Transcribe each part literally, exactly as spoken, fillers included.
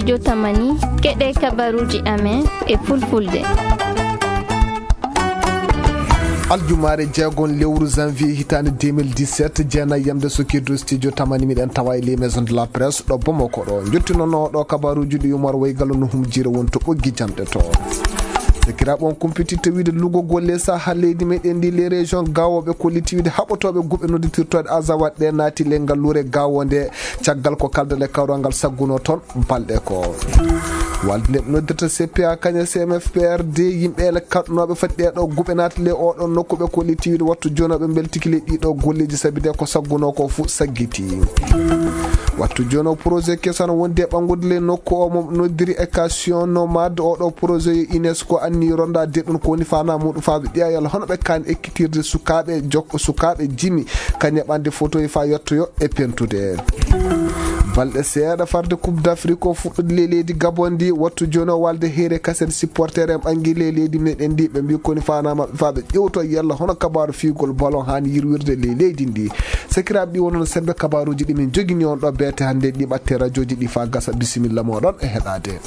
Jotamani, keɗee kabaruuji amen e fulfulde. Aljumaare jeegon lewru janvier hitaande deux mille dix-sept, jeenayi yamde so keddu studio tamani, miɗen tawa e les maisons de la presse ɗo Bamako ɗo. Njottinonoo ɗo kabaruuji ɗi Umar Waygallo no humjiira won to ɓoggi jamɗe to. Sakiraaɓe, on kumpititta wiide lugogol les saha leydi meɗen ndi, les régions gaawooɓe kolliti wiide haɓotooɓe guɓe nodditirtooɗe Azawad ɗe naati ley ngalluure Gaawo nde, caggal ko kaldal e kawral ngal saggunoo toon balɗe ko. Walde nde ɓe noddirta C P A kañe C M F P R D, yimɓe ele kaɗnooɓe fati ɗee ɗoo guɓe naati ley oo ɗoo nokku ɓe kolliti wiide wattu jooni o ɓe mbeltiki ley ɗii ɗoo golleeji sabi de ko saggunoo ko fuu saggiti. Wattu jooni o projet keso ana wondi e ɓanngude ley nokku o mo noddiri éducation nomade. Oo ɗoo projet yo UNESCO anni rondaade ɗum, ko woni faanaa muuɗum faa ɓe ƴeewa yalla hono ɓe kaani ekkitirde sukaaɓe jok-, sukaaɓe jimi, kañe ɓande fotoyi faa yettoyo e pentude. Balɗe seeɗa farde Coupe d'Afrique o fuɗɗude ley leydi Gabon ndi, wattu jooni o walde heyre kasen supporter en ɓanngi ley leydi meɗen ndi, ɓe mbii ko woni faanaa maɓɓe faa ɓe ƴeewto yalla hono kabaaru fiigol ballon haani yirwirde ley leydi ndi. Sakiraaɓe, ɗi wonno sembe kabaaruuji ɗi min njogini on ɗo beete hannde, ɗi ɓatte rajooji ɗi faa gasa. Bisimilla mooɗon e heɗaade.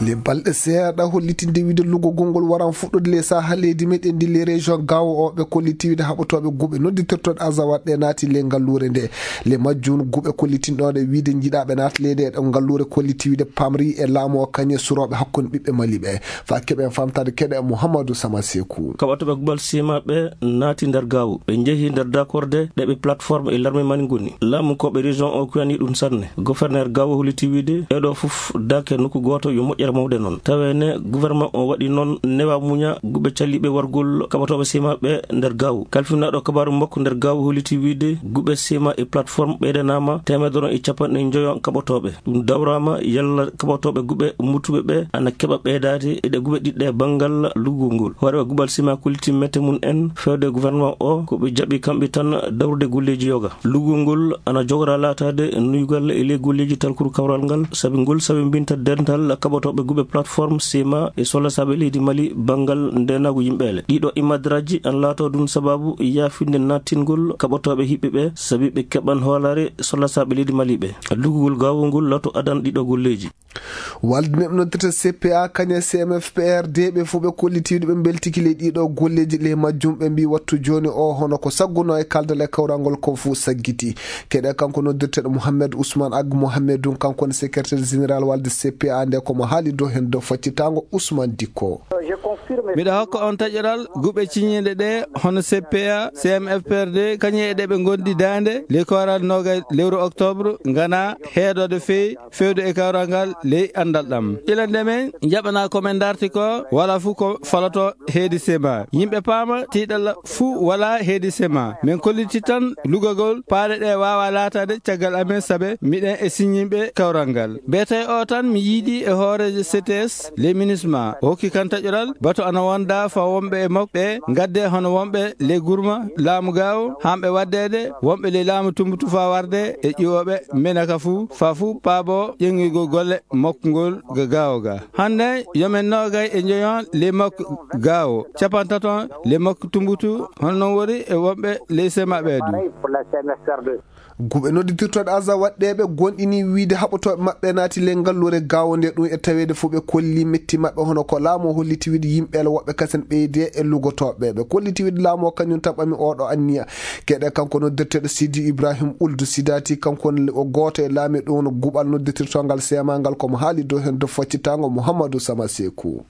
Le balɗe seeɗa hollitinde wiide lugogol ngol waran fuɗɗude le saha leydi meɗen ndi, le région Gaawo o ɓe kolliti wiide haɓotooɓe guɓe nodditirtooɗe Azawad ɗe naati le ngalluure nde. Le majjum guɓe kollitinɗo ɗe wiide njiɗaaɓe naati leydi e ɗo ngalluure kolliti wiide pamri e laamu o kañe surooɓe hakkunde ɓiɓɓe Mali ɓe. Faa keɓen famtaade keɗe Muhammadu Sama Seku. Kaɓatooɓe guɓal sima ɓe naati nder Gaawo. Ɓe njehi nder dakorde ɗe ɓe plateforme e larme mani ngoni. Laamu ko ɓe région o kuyani ɗum sanne. Gouverneur Gaawo holliti wiide, ɗee ɗoo fof daake nokku gooto yo moƴƴere mawde noon. Tawee ne gouvernement o waɗi noon newa muña guɓe calliiɓe wargol kaɓatooɓe sima ɓe nder Gaawo. Kalfinaaɗo kabaaru makko nder Gaawo holliti wiide, guɓe sima e plateforme ɓeydanaama teemedere e capanɗe njoyo kaɓotooɓe. Ɗum dawraama yalla kaɓotooɓe guɓe muttuɓe ɓe ana keɓa ɓeydaade e ɗe guɓe ɗiɗɗe banngal lugol ngol. Hooreeɓe guɓal sima kolliti mette mum en feewde gouvernement o, ko ɓe jaɓi kamɓe tan dawrude golleeji yoga. Lugol ngol ana jogora laataade nuygal e ley golleeji talkuru kawral ngal, sabi ngol sabi mbinta dental kaɓotooɓe guɓe plateforme sima e sollasaaɓe leydi Mali banngal ndeenaagu yimɓeele. Ɗiɗo imadraji ana laato ɗum sababu yaafinde naattingol kaɓotooɓe hiɓɓe ɓe, sabi ɓe keɓan hoolaare sollasaaɓe leydi Mali ɓe. Lugol Gaawo ngol laato adan ɗiɗo golleeji. Walde neɗɗo noddirta C P A kañe C M F P R D, ɓe fof ɓe kollitiiɗo ɓe mbeltiki ley ɗiɗo golleeji. Ley majjum ɓe mbii wattu jooni o hono ko saggunoo e kaldal e kawral ngol ko fof saggiti. Keɗe kanko noddirteeɗo Mouhamed Ousmane Ag Mouhamedou, kanko woni secrétaire général walde C P A nde, ko mo haali dow heen dow faccitaango Ousmane Dikko. Miɗo hokka on taƴoral guɓe ciñiiɗe ɗe hono C P A, C M F P R D, kañe e ɗe ɓe ngondi daande ley kooral noogay lewru octobre, ngana heedoode feewi fewde e kawral ngal ley anndal ɗam. Ila nde men njaɓanaa ko men ndarti ko, wala fuu ko faloto heedi sema. Yimɓe paama tiiɗalla fuu wala heedi sema. Men kolliti tan lugagol paaɗe ɗe waawa laataade caggal amen, sabe miɗen e siññiiɓe kawral ngal. Mbiyetee o tan mi yiidi e hooreejo C T S, le MINUSMA. O hokki kan taƴoral, bato ana wonda fa wonɓe e makko ɓe, ngadde hono wonɓe le gurma laamu gaawo, hamɓe waddeede, wonɓe le laamu tumbutu fa warde e ƴiwooɓe menaka fuu, fa fuu paabo ƴeŋŋigol golle makko ngol ga gaawo ga. Hannde yo men noogay e njoyon le makko gaawo, capantaton le makko tumbutu, hono non wori e wonɓe le sema ɓee du. Guɓe nodditirtooɗe Aza waɗɗeeɓe gonɗinii wiide haɓotooɓe maɓɓe naati ley ngalluure gaawo nde, ɗum e taweede fof ɓe kolli metti maɓɓe, hono ko laamu o holliti wiide yimɓe ele woɓɓe kasen ɓeyde e lugotooɓe. Ɓe kolliti wiide laamu o kañum tan ɓami oɗo anniya. Geɗe kanko noddirteeɗo Sidi Ibrahim Uldu Sidati, kanko woni o gooto e laamiiɓe ɗum woni guɓal nodditirtongal seema ngal, ko mo haali dow heen dow faccitaango Mouhamadou Sama Seku.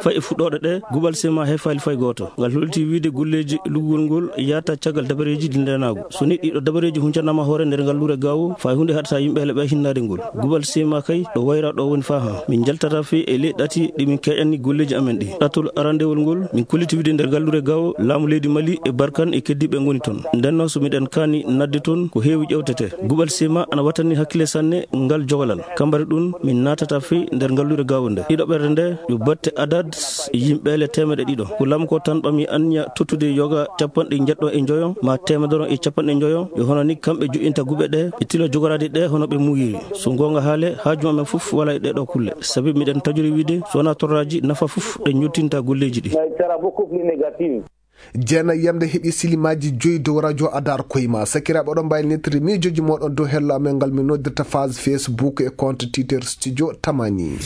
Fay e fuɗɗooɗe ɗe, guɓal seema hefaali fay gooto. Ngal holti wiide golleeji lugugol ngol yahata caggal dabareeji ɗi ndeenaagu. So ni ɗiɗo dabareeji huncanaama hoore nder ngalluure gaawo, fay huunde haɗata yimɓe hele ɓe hinnaade ngol. Guɓal seema kay, ɗo wayra ɗo woni faa haa. Min njaltata fii e ley ɗati ɗi min keƴanni golleeji amen ɗi. Ɗatol arandewol ngol, min kolliti wiide nder ngalluure gaawo, laamu leydi Mali e Barkan e keddiiɓe ngoni ton. Nden noon so miɗen kaani nadde ton, ko heewi ƴewtete. Guɓal seema ana wattani hakkille sanne ngal jogalal. Kambari ɗum, min naatata fii nder ngalluure gaawo nde. Ɗiɗo ɓerde nde, yo batte adad yimɓe le teemedde ɗiɗo. Ko laamu ko tan ɓami anniya tottude yoga capanɗe njeɗɗo e njoyo, ma teemedere e capanɗe njoyo, yo hono ni kamɓe joƴƴinta guɓe ɗe, ɓe tilo jogoraade ɗe hono ɓe muuyiri. So goonga haale, haaju amen fof wala e ɗee ɗoo kulle. Sabi miɗen tajori wiide, so wonaa torraaji, nafa fof ɗe njottinta golleeji ɗi. Jeenayyamde heɓi silimaaji joyi dow rajo Adar Koyma. Sakiraaɓe, oɗon mbaawi nettiri miijooji mooɗon dow hello amen ngal min noddirta page Facebook e compte Twitter Studio Tamani.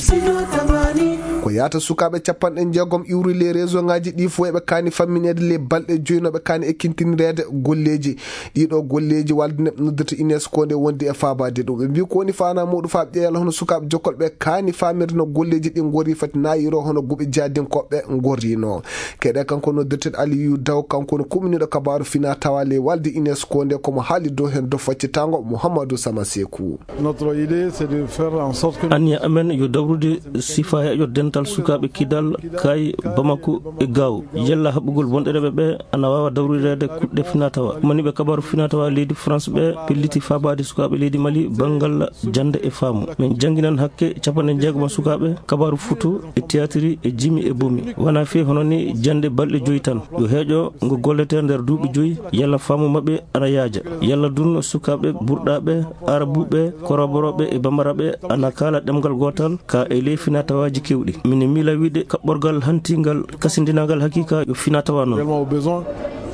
Ko yaata sukaaɓe capanɗe jeegom iwri ley réseauŋaaji ɗii fof eɓe kaani fammineede ley balɗe joyi no ɓe kaani ekkintinreede golleeji. Ɗiiɗoo golleeji walde neɗɗo noddirta UNESCO nde wondi e faabaade ɗum. Ɓe mbii ko woni faanaa muuɗum faa ɓe ƴeewa hono sukaaɓe jokkolɓe kaani faamirde no golleeji ɗii ngorri fati naayiroo hono guɓe jaadinkooɓe ngorrinoo. Keɗe kanko noddirteeɗo Aliyu Daw, kanko woni kuɓiniiɗo kabaaru finaa tawaa ley walde UNESCO nde, ko mo haali dow heen dow faccitaango Muhammadu Sama Seeku. Notre idée, c'est de faire en sorte que Anniya amen yo dawrude sifaa yaƴo dental sukaaɓe kidal, kay, Bamako e Gaawo. Yalla haɓugol bonɗereeɓe ɓe ana waawa dawrireede kuɗɗe finaa tawaa. Maniiɓe kabaaru finaa tawaa leydi France ɓe pelliti faabaade sukaaɓe leydi Mali banngal jannde e faamu. Min jannginan hakke capanɗe jeegom sukaaɓe kabaaru futu e tiyaatiri e jimi e bomi. Wanaa fii hono nii jannde balɗe joyi tan. Yo heeƴo ngo golletee nder duuɓi joyi, yalla faamu maɓɓe ana yaaja. Yalla dun sukaaɓe burɗaaɓe, aarabuuɓe, koroborooɓe e bambaraaɓe ana kaala ɗemngal gootal, ka e ley finaa tawaaji keewɗi. Min miila wiide kaɓɓorgal hantingal, kasindinangal hakiika yo finaa tawaa non. Réellement au besoin,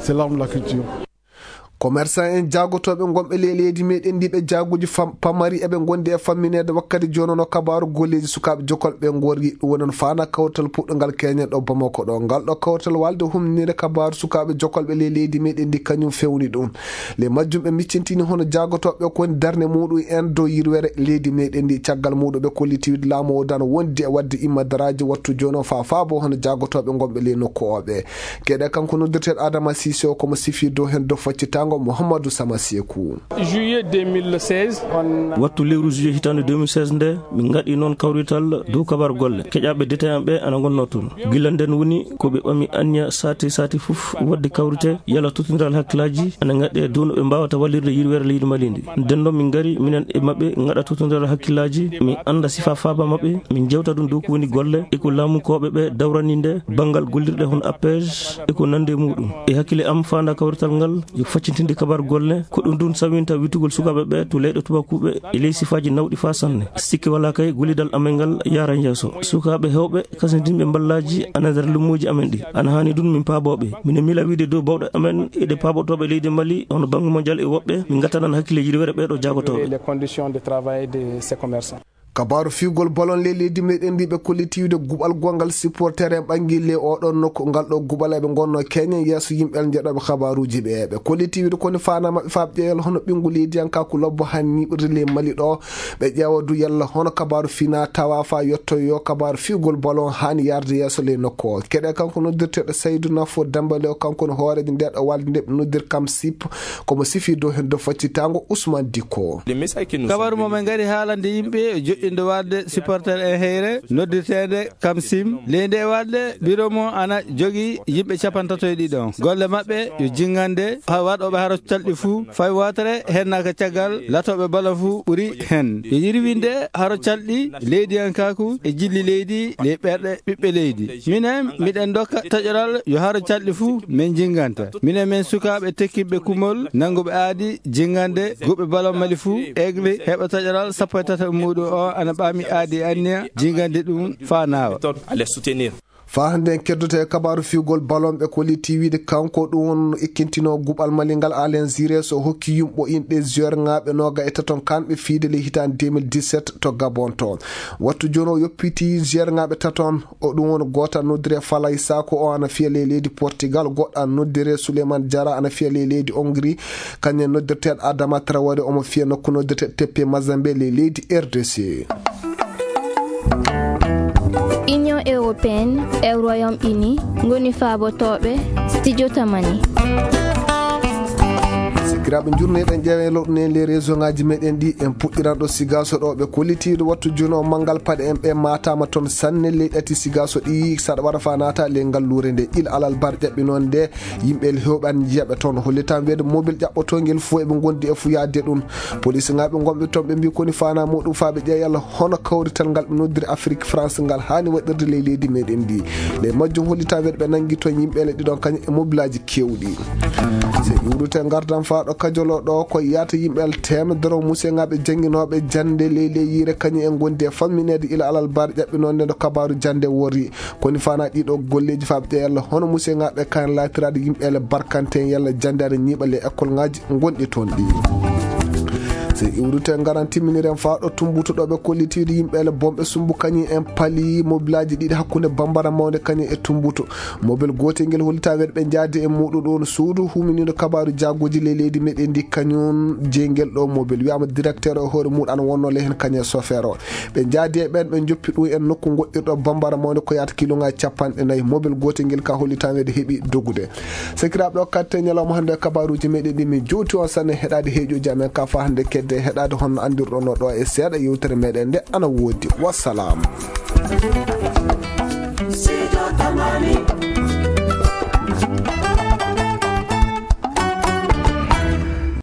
c'est l'arme de la culture. Commerçant en jaagotooɓe ngonɓe ley leydi meɗen ndi ɓe jaaguuji fam-, pamari eɓe ngondi e fammineede wakkati jooni no kabaaru golleeji sukaaɓe jokolɓe ngorri. Ɗum woni no faanaa kawtal puɗɗungal keñen ɗo Bamako ɗo. Ngal ɗo kawtal walde humninde kabaaru sukaaɓe jokolɓe ley leydi meɗen ndi kañum fewni ɗum. Ley majjum ɓe miccintini hono jaagotooɓe ko woni darnde muɗum en dow yirwere leydi meɗen ndi. Caggal muɗum ɓe kolliti wiide laamu o dano wondi e waɗde immadaraaji wattu jooni o faa faabo hono jaagotooɓe ngonɓe ley nokku o ɓe. Keɗe kanko noddirteeɗo Adama Sise o, ko mo sifi dow heen dow faccitaango Muhammadu Sama Seeku. Juillet deux mille seize, on Wattu lewru juillet hitaande deux mille seize nde, min ngaɗi noon kawrital dow kabar golle. Keƴaaɓe détaillant ɓe ana ngonnoo toon. Gila nden woni ko ɓe ɓami anniya saati saati fof waɗde kawrite, yalla tottondiral hakkillaaji ana ngaɗee dow no ɓe mbaawata wallirde yirwere leydi Mali ndi. Nden noon min ngari minen e maɓɓe ngaɗa tottondiral hakkillaaji, min annda sifaa faaba maɓɓe, min njewta ɗum dow ko woni golle e ko laamukooɓe ɓe dawrani nde banngal gollirɗe hono APEJ e ko nanndi e muɗum. E hakkille am faandaa kawrital ngal yo faccintinde kabar golle, ko ɗum ɗum sawinta wittugol sukaaɓe ɓe to leyɗe tubakuuɓe e ley sifaaji nawɗi faa sanne. Sikke walaa kay gollidal amen ngal yaaran yeeso. Sukaaɓe heewɓe kasintinɓe mballaaji ana nder lummooji amen ɗi. Ana haani ɗum min paaboo ɓe. Minen miila wiide dow baawɗe amen e ɗe paabotooɓe leydi Mali hono Banque Mondiale e woɓɓe, min ngattanan hakkille yirwere ɓee ɗoo jaagotooɓe. Les conditions de travail de ces commerçants. Kabaaru fiwgol balon ley leydi meɗen ndi ɓe kolliti wiide guɓal gonngal supporter en ɓangi ley oɗon nokku. Ngal ɗo guɓal eɓe ngonnoo keñen yeeso yimɓe njeɗooɓe kabaaruuji ɓe. Ɓe kolliti wiide ko woni faanaa maɓɓe faa ɓe ƴeewa hono ɓinngu leydiyankaaku lobbo haani ñiiɓirde ley Mali ɗo. Ɓe ƴeewa du yalla hono kabaaru finaa tawaa faa yottoyoo kabaaru fiwgol balon haani yaarde yeeso ley nokku o. Keɗe kanko noddirteeɗo Saydu Nafo Dembale o, kanko woni hooreejo ndee ɗo walde nde ɓe noddir kam sip, ko mo sifi dow heen dow faccitaango Usman Dikko. Kabaru mo min ngari haalande yimɓe e joƴƴinde waɗde supporter en heyre noddirteende kam sim. Ley ndee waɗde biro mo ana jogii yimɓe capantato e ɗiɗo. Golle maɓɓe yo jinngande ha waɗooɓe haro calɗi fuu fay wootere hennaaka caggal latooɓe bala fuu ɓuri hen. Yo yirwinde haro calɗi leydiyankaaku e jilli leydi ley ɓerɗe ɓiɓɓe leydi. Minen miɗen ndokka taƴoral yo haro calɗi fuu min jinnganta. Minen min sukaaɓe tekkinɓe kumol nannguɓe aadi jinngande guɓe balon Mali fuu, Aigle heɓa taƴoral sappo e tati muɗum o ana ɓaami aadi anniya jinngande ɗum faa naawa. Méthode à les soutenir. Faa hannde en keddoto e kabaaru fiwgol balon ɓe kolliti wiide kanko ɗum won ekkintinoo guɓal Mali ngal Alain Giresse o hokki yumɓo inɗe joueur ŋaaɓe nooga e taton kanɓe fiide ley hitaande deux mille dix-sept to Gabon to. Wattu jooni o yoppiti joueur ŋaaɓe taton. O ɗum woni gooto ana noddiree Falay Sako, o ana fiya ley leydi Portugal, goɗɗo ana noddiree Souleymane Diarra ana fiya ley leydi Hongrie, kañum e noddirteeɗo Adama Traoré omo fiya nokku noddirtee Tepe Mazembe ley leydi R D C. Union Européenne e Royaume Uni ngoni faabotooɓe Studio Tamani. Sakiraaɓe, njurnee ɗen ƴeewen lowɗen ley réseau ŋaaji meɗen ɗi. En puɗɗiran ɗo Sigaaso ɗo ɓe kolliti ɗo wattu jooni o manngal paɗe en ɓe maataama toon sanne ley ɗati Sigaaso ɗi saɗa waɗa faa naata ley ngalluure nde. Il Alal Bar ƴaɓɓi noon nde yimɓe heewɓe ana njiya ɓe toon. Hollitaa wiyeede mobil ƴaɓɓotoongel fof eɓe ngondi e fuyaade ɗum. Polisinaaɓe ngonɓe toon ɓe mbii ko woni faanaa muɗum faa ɓe ƴeewa yalla hono kawrital ngal ɓe noddiri Afrik France ngal haani waɗirde ley leydi meɗen ndi. Ley majjum hollitaa wiyeede ɓe nanngi toon yimɓe le ɗiɗon kañum e mobilaaji keewɗi. So iwrute ngardan faa Ɗo kajoloo ɗoo ko yaata yimɓe teemedere musiyaŋaaɓe jannginooɓe jannde ley ley yiire kañum en ngondi e fammineede ila alarba ƴaɓɓinoonde no kabaaru jannde worri. Ko ni faanaa ɗii ɗoo golleeji faa ɓe ƴeewa yalla hono musiyaŋaaɓe kañum laatiraade yimɓe barkante en yalla jannde ana ñiiɓa ley ekkolŋaaji gonɗi toon ɗii. So iwrite ngaran timminiren faa ɗo Tumbutu ɗo ɓe kollitiiɗo yimɓe bonɓe sumbu kañum en pali mobilaaji ɗiɗi hakkunde Bambara Mawnde kañum e Tumbutu. Mobel gootel ngel hollitaa weeɗe ɓe njaadi e muuɗum ɗoon suudu huuminiiɗo kabaaru jaagooji ley leydi meɗen ndi kañum jeyngel ɗo mobel wiyaama directeur o hoore muuɗum ana wonnoo ley heen kañum e sofeer o. Ɓe njaadi e ɓeen ɓe njoppi ɗum en nokku ngoɗɗirɗo Bambara Mawnde ko yaata kiloŋaaji capanɗe nayi. Mobel gootel ngel ka hollitaa weeɗe heɓi dogude. Sakiraaɓe, ɗo katten ñalawma hannde e kabaaruuji meɗen ɗi min jowti on sanne heɗaade heeƴooji amen ka faa hannde kedde heɗaade honno anndirɗon no ɗo e seeɗa yewtere meɗen nde ana woodi. Wassalaamu.